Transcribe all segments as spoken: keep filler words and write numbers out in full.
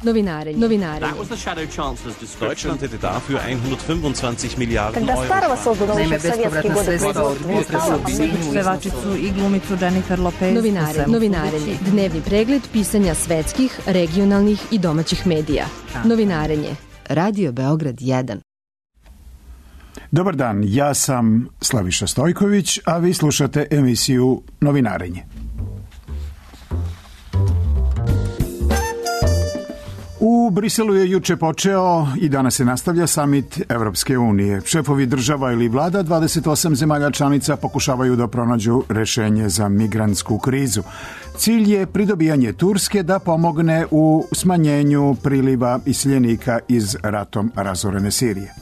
Novinarenje. Novinarenje. Deutschland hätte dafür hundertfünfundzwanzig Miliarden Когда Старого создан Naime, еще в советские bespovratna годы sredstva od potresa pevačicu i glumicu Jennifer Lopez. Novinarenje. Novinarenje. Dnevni pregled pisanja svetskih, regionalnih i domaćih medija. Novinarenje. Radio Beograd jedan. Dobar dan, ja sam Slaviša Stojković, a vi slušate emisiju Novinarenje. U Briselu je juče počeo i danas se nastavlja samit Evropske unije. Šefovi država ili vlada dvadeset osam zemalja članica pokušavaju da pronađu rešenje za migrantsku krizu. Cilj je pridobijanje Turske da pomogne u smanjenju priliva iseljenika iz ratom razorene Sirije.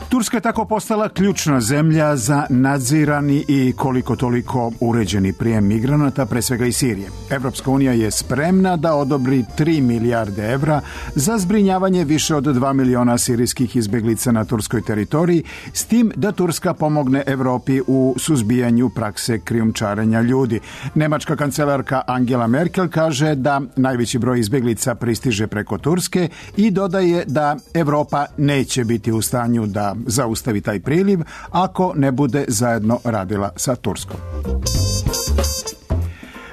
Turska je tako postala ključna zemlja za nadzirani i koliko toliko uređeni prijem migranata, pre svega iz Sirije. Evropska unija je spremna da odobri tri milijarde evra za zbrinjavanje više od dva miliona sirijskih izbeglica na turskoj teritoriji, s tim da Turska pomogne Evropi u suzbijanju prakse krijumčarenja ljudi. Nemačka kancelarka Angela Merkel kaže da najveći broj izbeglica pristiže preko Turske i dodaje da Evropa neće biti u stanju da zaustavi taj priliv ako ne bude zajedno radila sa Turskom.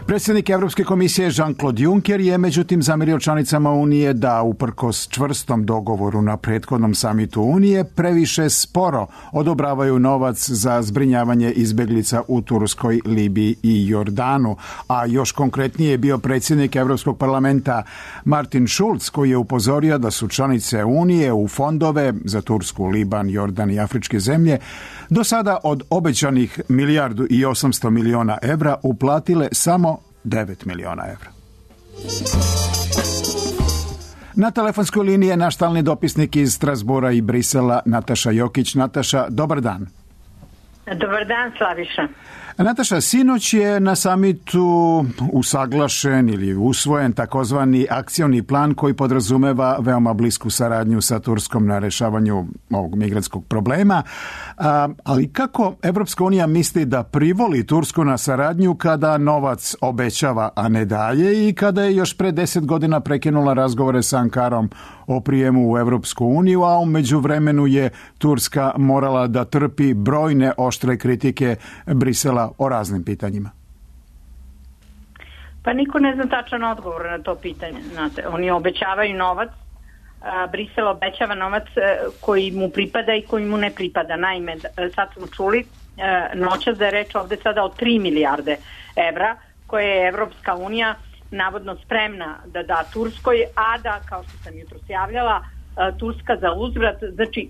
Predsjednik Evropske komisije Jean-Claude Juncker je međutim zamerio članicama Unije da uprkos čvrstom dogovoru na prethodnom samitu Unije previše sporo odobravaju novac za zbrinjavanje izbeglica u Turskoj, Libiji i Jordanu. A još konkretnije je bio predsjednik Evropskog parlamenta Martin Schulz, koji je upozorio da su članice Unije u fondove za Tursku, Liban, Jordan i afričke zemlje do sada od obećanih milijardu i osamsto miliona evra uplatile samo devet miliona evra. Na telefonskoj liniji je naš stalni dopisnik iz Strasbura i Brisela Nataša Jokić. Nataša, dobar dan. Dobar dan, Slaviša. Nataša, sinoć je na samitu usaglašen ili usvojen takozvani akcioni plan koji podrazumeva veoma blisku saradnju sa Turskom na rešavanju ovog migrantskog problema. A, ali kako Evropska unija misli da privoli Tursku na saradnju kada novac obećava, a ne daje, i kada je još pre deset godina prekinula razgovore sa Ankarom o prijemu u Evropsku uniju, a u međuvremenu je Turska morala da trpi brojne oštre kritike Brisela o raznim pitanjima? Pa niko ne zna tačan odgovor na to pitanje. Znate, oni obećavaju novac, a Brisel obećava novac koji mu pripada i koji mu ne pripada. Naime, sad smo čuli noćas da je reč ovde sada o tri milijarde evra koje je Evropska unija navodno spremna da da Turskoj, a da, kao što sam jutros javljala, Turska za uzvrat, znači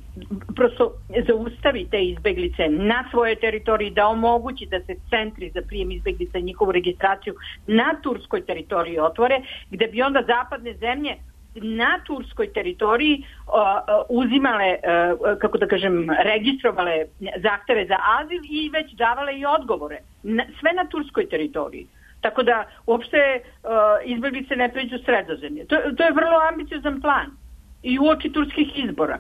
prosto zaustavi te izbeglice na svojoj teritoriji, da omogući da se centri za prijem izbeglica i njihovu registraciju na turskoj teritoriji otvore, gde bi onda zapadne zemlje na turskoj teritoriji uh, uzimale, uh, kako da kažem, registrovale zahteve za azil i već davale i odgovore. Na, sve na turskoj teritoriji. Tako da uopšte uh, izbeglice ne pređu Sredozemlje. To, to je vrlo ambiciozan plan. I uoči turskih izbora.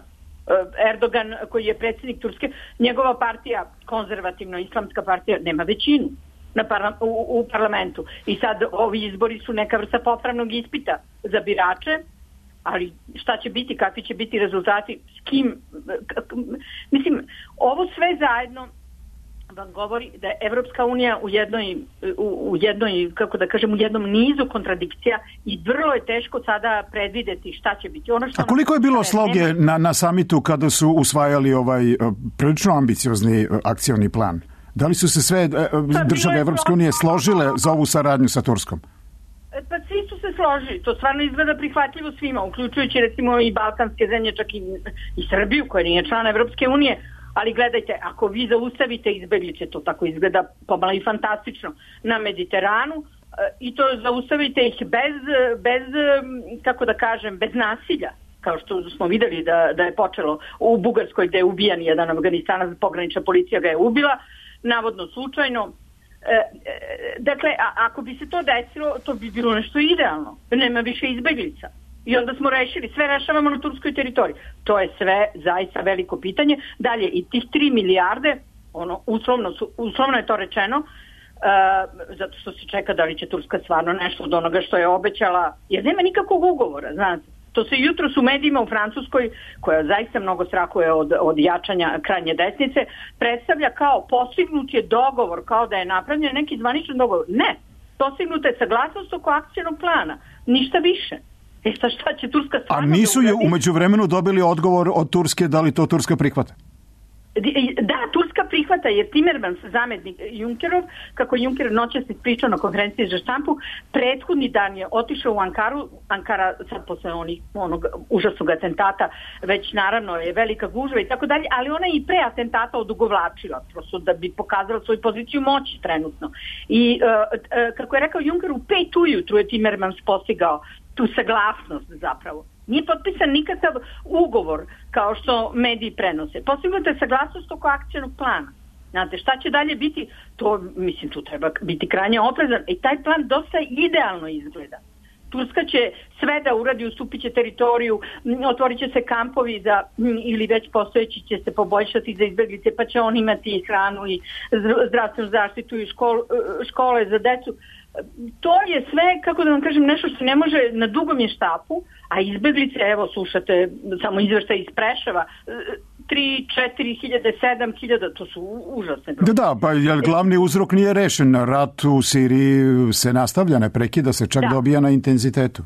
Erdogan, koji je predsjednik Turske, njegova partija, konzervativno-islamska partija, nema većinu na parla, u, u parlamentu. I sad ovi izbori su neka vrsta popravnog ispita za birače, ali šta će biti, kakvi će biti rezultati, s kim... Mislim, ovo sve zajedno vam govori da je Evropska unija u jednoj, u, u jednoj, kako da kažem, u jednom nizu kontradikcija i vrlo je teško sada predvideti šta će biti. Ono što A koliko je bilo sloge na, na samitu kada su usvajali ovaj prilično ambiciozni akcioni plan? Da li su se sve države Evropske unije složile za ovu saradnju sa Turskom? Pa svi su se složili. To stvarno izgleda prihvatljivo svima, uključujući recimo i balkanske zemlje, čak i, i Srbiju, koja nije član Evropske unije. Ali gledajte, ako vi zaustavite izbeglice, to tako izgleda pomalo i fantastično, na Mediteranu, i to zaustavite ih bez, bez, kako da kažem, bez nasilja, kao što smo videli da, da je počelo u Bugarskoj, gde je ubijan jedan Afganistanac, pogranična policija ga je ubila, navodno slučajno. Dakle, a, ako bi se to desilo, to bi bilo nešto idealno. Nema više izbeglica. I onda smo rešili, sve rešavamo na turskoj teritoriji. To je sve zaista veliko pitanje. Dalje, i tih tri milijarde, ono, uslovno, su, uslovno je to rečeno, uh, zato što se čeka da li će Turska stvarno nešto od onoga što je obećala, jer nema nikakvog ugovora, znate. To se jutros u medijima u Francuskoj, koja zaista mnogo strahuje od, od jačanja krajnje desnice, predstavlja kao postignut je dogovor, kao da je napravljen neki zvaničan dogovor. Ne, postignuta je saglasnost oko akcijnog plana, ništa više. E šta, šta će Turska stvarno... A nisu je umeđu vremenu dobili odgovor od Turske da li to Turska prihvata? Da, Turska prihvata, jer Timmermans, zametnik Junckerov, kako Juncker noćas ispričao na konferenciji za štampu, prethodni dan je otišao u Ankaru, Ankara sad posle onih, onog užasnog atentata, već naravno je velika gužva i tako dalje, ali ona je i pre atentata odugovlačila, prosto da bi pokazala svoju poziciju moći trenutno. I uh, uh, kako je rekao Juncker, u pet ujutru je Timmermans postigao tu saglasnost zapravo. Nije potpisan nikakav ugovor kao što mediji prenose. Postignuta je saglasnost oko akcijnog plana. Znate, šta će dalje biti? To, mislim, tu treba biti krajnje oprezan. I taj plan dosta idealno izgleda. Turska će sve da uradi, ustupit će teritoriju, otvorit će se kampovi za, ili već postojeći će se poboljšati za izbjeglice, pa će on imati i hranu i zdravstvenu zaštitu i škol, škole za decu. To je sve, kako da vam kažem, nešto što ne može na dugom je štapu, a izbjeglice, evo slušate samo izveštaj iz Preševa, tri, četiri hiljade, sedam hiljada, to su užasne broj. Da, da, pa jer glavni uzrok nije rešen, rat u Siriji se nastavlja, ne prekida se, čak da. Dobija na intenzitetu.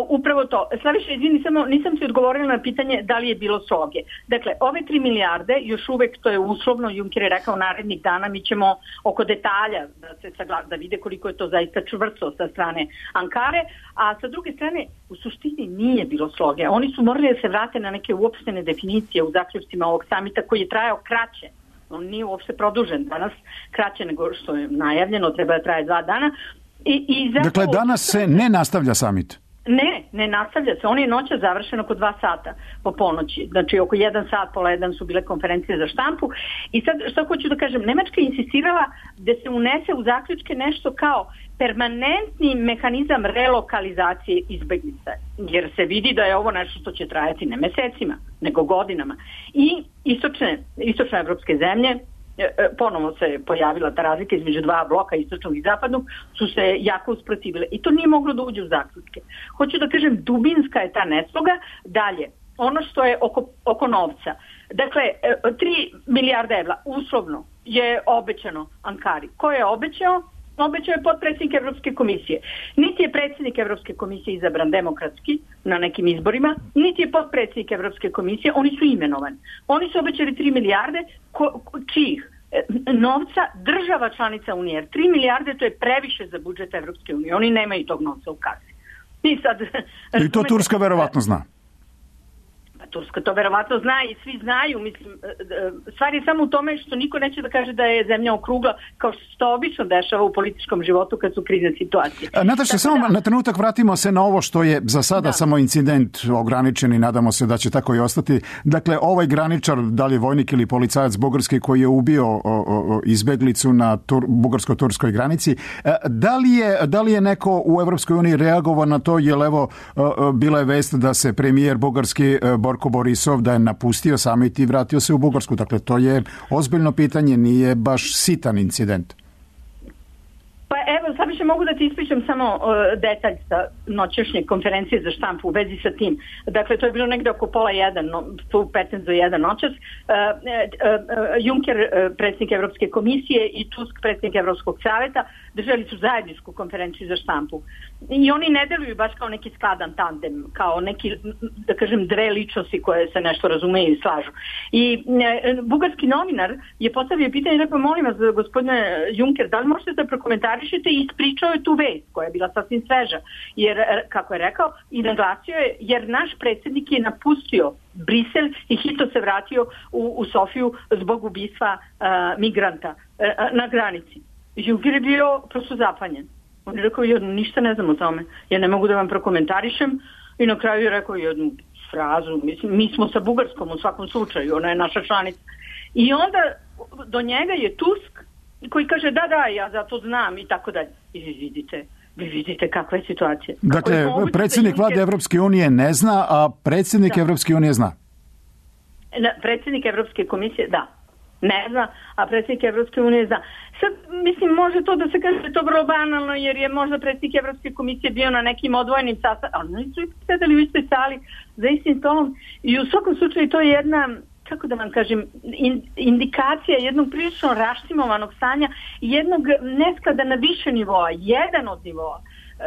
Upravo to. Slaviša, izvini, samo nisam si odgovorila na pitanje da li je bilo sloge. Dakle, ove tri milijarde, još uvek to je uslovno, Juncker je rekao narednih dana, mi ćemo oko detalja da se sagla, da vide koliko je to zaista čvrsto sa strane Ankare, a sa druge strane, u suštini nije bilo sloge. Oni su morali da se vrate na neke uopštene definicije u zaključcima ovog samita koji je trajao kraće. On nije uopšte produžen danas, kraće nego što je najavljeno, treba da traje dva dana. I, i zato... Dakle, danas se ne nastavlja samit? Ne, ne nastavlja se. On je noća završen oko dva sata po ponoći. Znači oko jedan sat, pola jedan su bile konferencije za štampu. I sad što hoću da kažem, Nemačka je insistirala da se unese u zaključke nešto kao permanentni mehanizam relokalizacije izbeglica. Jer se vidi da je ovo nešto što će trajati ne mesecima, nego godinama. I istočne, istočne evropske zemlje, ponovo se pojavila ta razlika između dva bloka, istočnog i zapadnog, su se jako usprotivile. I to nije moglo da uđe u zaključke. Hoću da kažem, dubinska je ta nesloga. Dalje, ono što je oko, oko novca. Dakle, tri milijarde evra uslovno je obećano Ankari. Ko je obećao? Obećao je potpredsjednik Evropske komisije. Niti je predsjednik Evropske komisije izabran demokratski na nekim izborima, niti je potpredsjednik Evropske komisije, oni su imenovani. Oni su obećali tri milijarde, ko, ko, čijih? Novca država članica Unije. Jer tri milijarde to je previše za budžet Evropske unije. Oni nemaju tog novca u kasi. I, sad, I to Turska verovatno zna. Turska to verovatno zna i svi znaju, mislim, stvar je samo u tome što niko neće da kaže da je zemlja okrugla, kao što se to obično dešava u političkom životu kad su krizne situacije. Nataša, samo da, na trenutak vratimo se na ovo što je za sada da. samo incident ograničen i nadamo se da će tako i ostati. Dakle, ovaj graničar, da li je vojnik ili policajac bugarski koji je ubio o, o, izbeglicu na tur, bugarsko-turskoj granici, da li je, da li je neko u Evropskoj uniji reagovao na to, jer evo bila je vest da se premijer bugarski Borko Borisov da je napustio samit i vratio se u Bugarsku. Dakle, to je ozbiljno pitanje, nije baš sitan incident. Pa evo, sad više mogu da ti ispričam samo uh, detalj sa noćešnje konferencije za štampu u vezi sa tim. Dakle, to je bilo negde oko pola jedan, no, petnaest do jedan noćas. Uh, uh, uh, Juncker, uh, predsjednik Evropske komisije i Tusk, predsjednik Evropskog saveta, držali su zajedničku konferenciju za štampu. I oni ne deluju baš kao neki skladan tandem, kao neki, da kažem, dve ličnosti koje se nešto razumeju i slažu. I uh, bugarski novinar je postavio pitanje i rekao, molim vas, gospodine Juncker, da li možete da prokomentarišete, i ispričao je tu vest koja je bila sasvim sveža. Jer, kako je rekao, i naglasio je, jer naš predsjednik je napustio Brisel i hitno se vratio u, u Sofiju zbog ubistva uh, migranta uh, na granici. Juncker je bio prosto zapanjen. On je rekao, ja ništa ne znam o tome, ja ne mogu da vam prokomentarišem, i na kraju je rekao jednu frazu, mislim, mi smo sa Bugarskom u svakom slučaju, ona je naša članica. I onda do njega je Tusk koji kaže da, da, ja zato znam i tako dalje. I vi vidite, vi vidite kakva je situacija. Dakle, je predsjednik vlade Juncker... Evropske unije ne zna, a predsjednik da. Evropske unije zna. Na, predsjednik Evropske komisije, da, ne zna, a predsjednik Evropske unije zna. sad, mislim, može to da se kaže to vrlo banalno, jer je možda predsjednik Evropske komisije bio na nekim odvojenim sastancima, ali oni su sedeli u istoj sali za istim stolom i u svakom slučaju to je jedna, kako da vam kažem, indikacija jednog prilično raštimovanog stanja, jednog nesklada na više nivoa, jedan od nivoa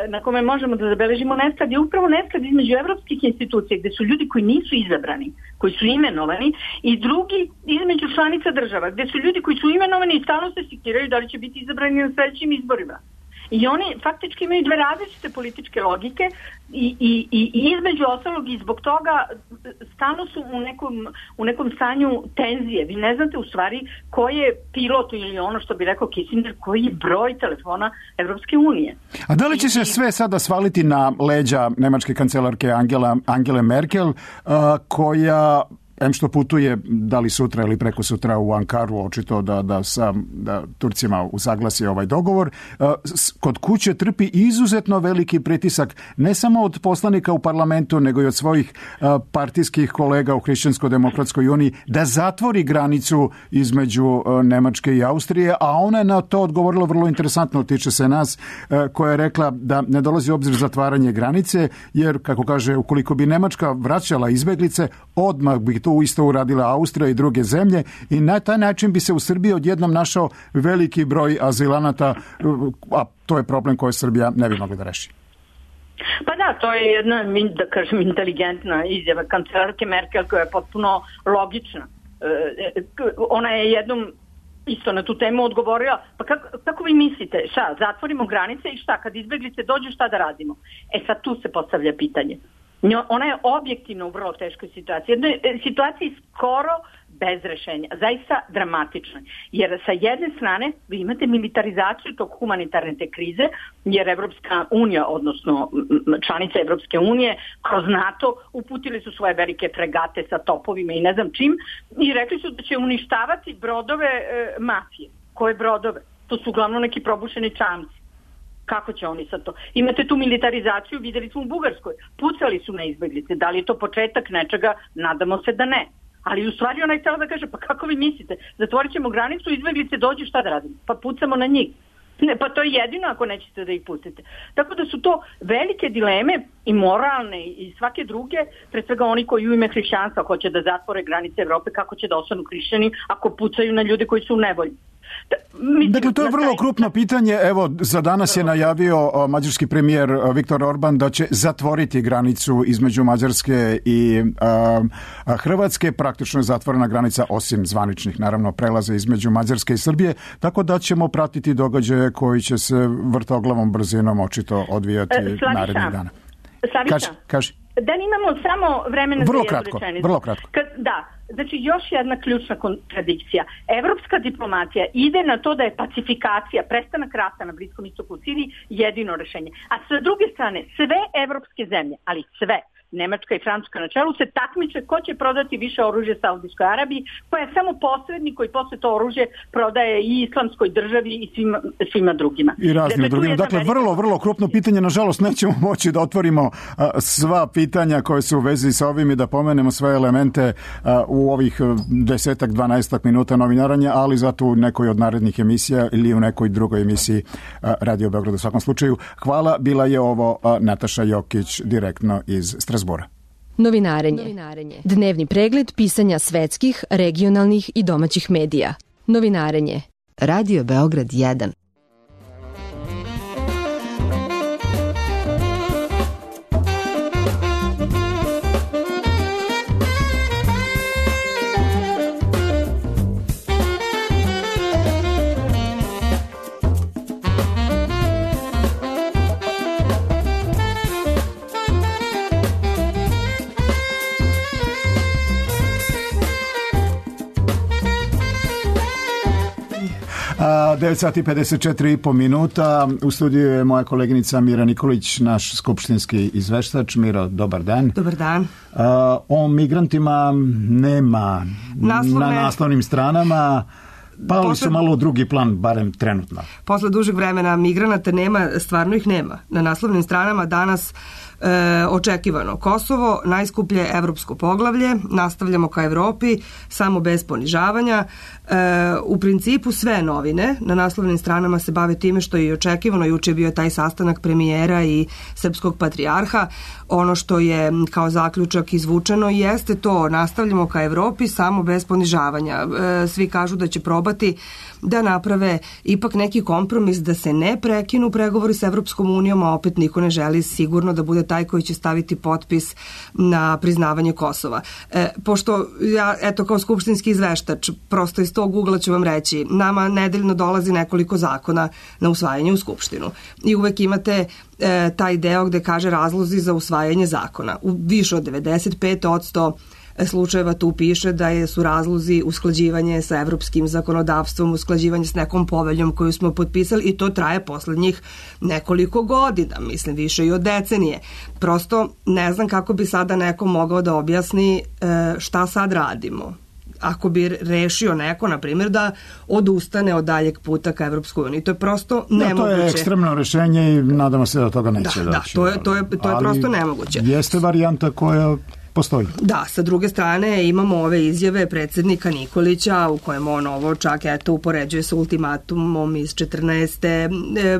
na kome možemo da zabeležimo nesklad je upravo nesklad između evropskih institucija gde su ljudi koji nisu izabrani, koji su imenovani, i drugi između članica država gde su ljudi koji su imenovani i stalno se sikiraju da li će biti izabrani na sledećim izborima. I oni faktički imaju dve različite političke logike i, i, i između ostalog i zbog toga stalno su u nekom, u nekom stanju tenzije. Vi ne znate u stvari koji je pilot ili ono što bi rekao Kissinger, koji je broj telefona Evropske unije. A da li će se sve sada svaliti na leđa nemačke kancelarke Angela, Angele Merkel, uh, koja em što putuje, da li sutra ili preko sutra u Ankaru, očito da, da sa da Turcima usaglasi ovaj dogovor, kod kuće trpi izuzetno veliki pritisak ne samo od poslanika u parlamentu, nego i od svojih partijskih kolega u Hrišćansko-demokratskoj uniji da zatvori granicu između Nemačke i Austrije, a ona je na to odgovorila vrlo interesantno, tiče se nas, koja je rekla da ne dolazi u obzir zatvaranje granice, jer, kako kaže, ukoliko bi Nemačka vraćala izbeglice, odmah bi to isto uradila Austrija i druge zemlje i na taj način bi se u Srbiji odjednom našao veliki broj azilanata, a to je problem koji Srbija ne bi mogla da reši. Pa da, to je jedna, da kažem, inteligentna izjava kancelarke Merkel koja je potpuno logična. Ona je jednom isto na tu temu odgovorila, pa kako, kako vi mislite, šta, zatvorimo granice i šta, kad izbeglice dođu, šta da radimo? E sad tu se postavlja pitanje. Ona je objektivno u vrlo teškoj situaciji. Jednoj situaciji skoro bez rešenja. Zaista dramatično. Jer sa jedne strane vi imate militarizaciju tog humanitarne te krize, jer Evropska unija, odnosno članice Evropske unije, kroz NATO uputili su svoje velike fregate sa topovima i ne znam čim i rekli su da će uništavati brodove e, mafije. Koje brodove? To su uglavnom neki probušeni čamci. Kako će oni sad to? Imate tu militarizaciju, videli smo u Bugarskoj. Pucali su na izbeglice. Da li je to početak nečega? Nadamo se da ne. Ali u stvari ona je htjela da kaže, pa kako vi mislite? Zatvorit ćemo granicu, izbeglice dođu, šta da radimo? Pa pucamo na njih. Ne, pa to je jedino ako nećete da ih pustite. Tako da su to velike dileme i moralne i svake druge, pre svega oni koji u ime hrišćanstva hoće da zatvore granice Evrope, kako će da ostanu hrišćani ako pucaju na ljude koji su u nevolji. Mislim, dakle, to je vrlo krupno pitanje. Evo, za danas je najavio mađarski premijer Viktor Orban da će zatvoriti granicu između Mađarske i a, a Hrvatske. Praktično je zatvorena granica, osim zvaničnih, naravno, prelaza između Mađarske i Srbije, tako da ćemo pratiti događaje koji će se vrtoglavom brzinom očito odvijati Slaviša, narednih dana. Slaviša, kaži, kaži. Da imamo samo vremena vrlo za kratko, rečenicu. Vrlo kratko. Kad, da, znači još jedna ključna kontradikcija. Evropska diplomatija ide na to da je pacifikacija, prestanak rata na Bliskom istoku u Siriji jedino rešenje. A sa druge strane, sve evropske zemlje, ali sve, Nemačka i Francuska na čelu, se takmiče ko će prodati više oružja Saudijskoj Arabiji, koja je samo posrednik koji posle to oružje prodaje i islamskoj državi i svima, svima drugima. I raznim dakle, drugima. Dakle, velika... vrlo, vrlo krupno pitanje. Nažalost, nećemo moći da otvorimo a, sva pitanja koje su u vezi sa ovim i da pomenemo sve elemente a, u ovih desetak, dvanaestak minuta novinaranja, ali zato u nekoj od narednih emisija ili u nekoj drugoj emisiji a, Radio Beograd u svakom slučaju. Hvala, bila je ovo a, Nataša Jokić direktno iz Strasbura. Novinarenje. Novinarenje. Dnevni pregled pisanja svetskih, regionalnih i domaćih medija. Novinarenje. Radio Beograd jedan. devet sati i pedeset četiri i po minuta. U studiju je moja koleginica Mira Nikolić, naš skupštinski izveštač. Miro, dobar dan. Dobar dan. Uh, o migrantima nema Naslovne... na naslovnim stranama. Pali posle, su malo u drugi plan, barem trenutno. Posle dužeg vremena migranata nema, stvarno ih nema. Na naslovnim stranama danas E, očekivano Kosovo, najskuplje evropsko poglavlje, nastavljamo ka Evropi, samo bez ponižavanja. E, u principu sve novine na naslovnim stranama se bave time što je i očekivano. Juče je bio taj sastanak premijera i srpskog patrijarha. Ono što je kao zaključak izvučeno jeste to, nastavljamo ka Evropi, samo bez ponižavanja. E, svi kažu da će probati da naprave ipak neki kompromis, da se ne prekinu pregovori sa Evropskom unijom, a opet niko ne želi sigurno da bude taj koji će staviti potpis na priznavanje Kosova. E, pošto ja, eto, kao skupštinski izveštač, prosto iz tog ugla ću vam reći, nama nedeljno dolazi nekoliko zakona na usvajanje u Skupštinu. I uvek imate e, taj deo gde kaže razlozi za usvajanje zakona. U više od devedeset pet posto slučajeva tu piše da je, su razlozi usklađivanje sa evropskim zakonodavstvom, usklađivanje s nekom poveljom koju smo potpisali i to traje poslednjih nekoliko godina, mislim više i od decenije. Prosto ne znam kako bi sada neko mogao da objasni šta sad radimo. Ako bi rešio neko, na primjer, da odustane od daljeg puta ka Evropskoj uniji. To je prosto nemoguće. Da, to je ekstremno rešenje i nadamo se da toga neće da, doći. Da, to je, to je, to je prosto nemoguće. Jeste varijanta koja postoji. Da, sa druge strane imamo ove izjave predsjednika Nikolića u kojem on ovo čak eto upoređuje sa ultimatumom iz četrnaeste. E,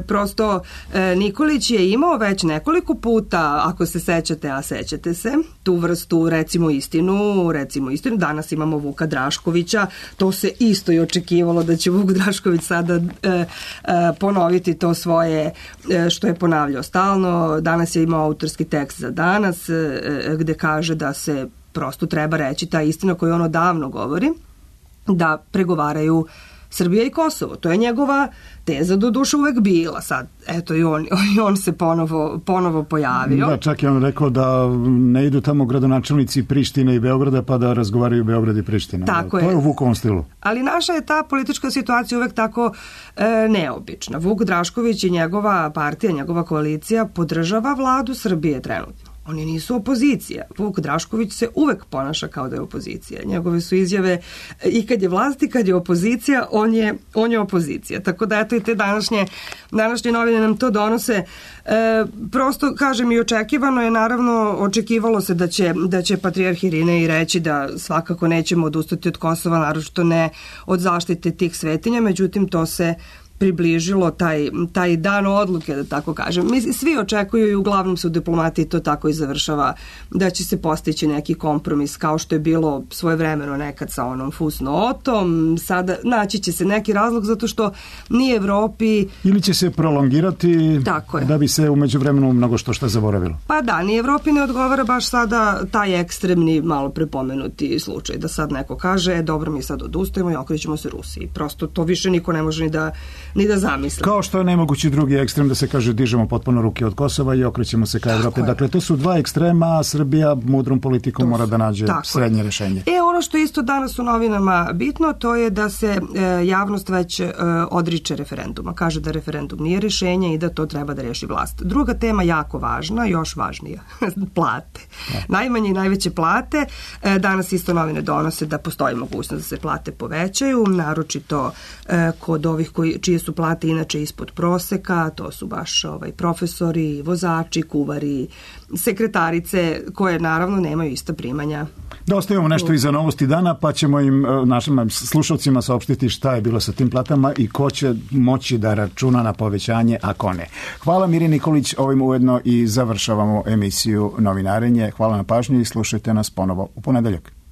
prosto e, Nikolić je imao već nekoliko puta, ako se sećate, a sećate se, tu vrstu recimo istinu, recimo istinu. Danas imamo Vuka Draškovića, to se isto i očekivalo da će Vuk Drašković sada e, e, ponoviti to svoje e, što je ponavljao stalno. Danas je imao autorski tekst za Danas e, gde kaže da da se prosto treba reći ta istina koju on odavno govori, da pregovaraju Srbija i Kosovo. To je njegova teza do duše uvek bila. Sad, eto, i on, i on se ponovo, ponovo pojavio. Da, čak je on rekao da ne idu tamo gradonačelnici Prištine i Beograda pa da razgovaraju Beograd i Priština. Tako to je. je u Vukovom stilu. Ali naša je ta politička situacija uvek tako e, neobična. Vuk Drašković i njegova partija, njegova koalicija podržava vladu Srbije trenutno. Oni nisu opozicija. Vuk Drašković se uvek ponaša kao da je opozicija. Njegove su izjave i kad je vlast i kad je opozicija, on je, on je opozicija. Tako da eto i te današnje, današnje novine nam to donose. E, prosto, kažem, i očekivano je, naravno, očekivalo se da će, da će patrijarh Irinej reći da svakako nećemo odustati od Kosova, naročito ne od zaštite tih svetinja, međutim to se približilo taj, taj dan odluke, da tako kažem. Mi svi očekuju i uglavnom se u diplomatiji to tako i završava, da će se postići neki kompromis kao što je bilo svojevremeno nekad sa onom fusnotom. Sada naći će se neki razlog zato što ni Evropi... Ili će se prolongirati da bi se u međuvremenu mnogo što što zaboravilo. Pa da, ni Evropi ne odgovara baš sada taj ekstremni, malo prepomenuti slučaj, da sad neko kaže, e, dobro, mi sad odustajemo i okrećemo se Rusiji. Prosto to više niko ne može ni da ni da zamislim. Kao što je nemogući drugi ekstrem da se kaže dižemo potpuno ruke od Kosova i okrećemo se ka Evropi. Dakle, to su dva ekstrema, a Srbija mudrom politikom mora da nađe srednje rešenje. E, ono što isto danas u novinama bitno, to je da se e, javnost već e, odriče referenduma. Kaže da referendum nije rešenje i da to treba da reši vlast. Druga tema jako važna, još važnija, plate. Da. Najmanje i najveće plate. E, danas isto novine donose da postoji mogućnost da se plate povećaju, naročito e, kod ovih koji, čije su plate inače ispod proseka, to su baš ovaj, profesori, vozači, kuvari, sekretarice, koje naravno nemaju ista primanja. Da ostavimo nešto i za novosti dana, pa ćemo im, našim slušalcima, saopštiti šta je bilo sa tim platama i ko će moći da računa na povećanje, a ko ne. Hvala Miri Nikolić, ovim ujedno i završavamo emisiju Novinarenje. Hvala na pažnju i slušajte nas ponovo u ponedeljak.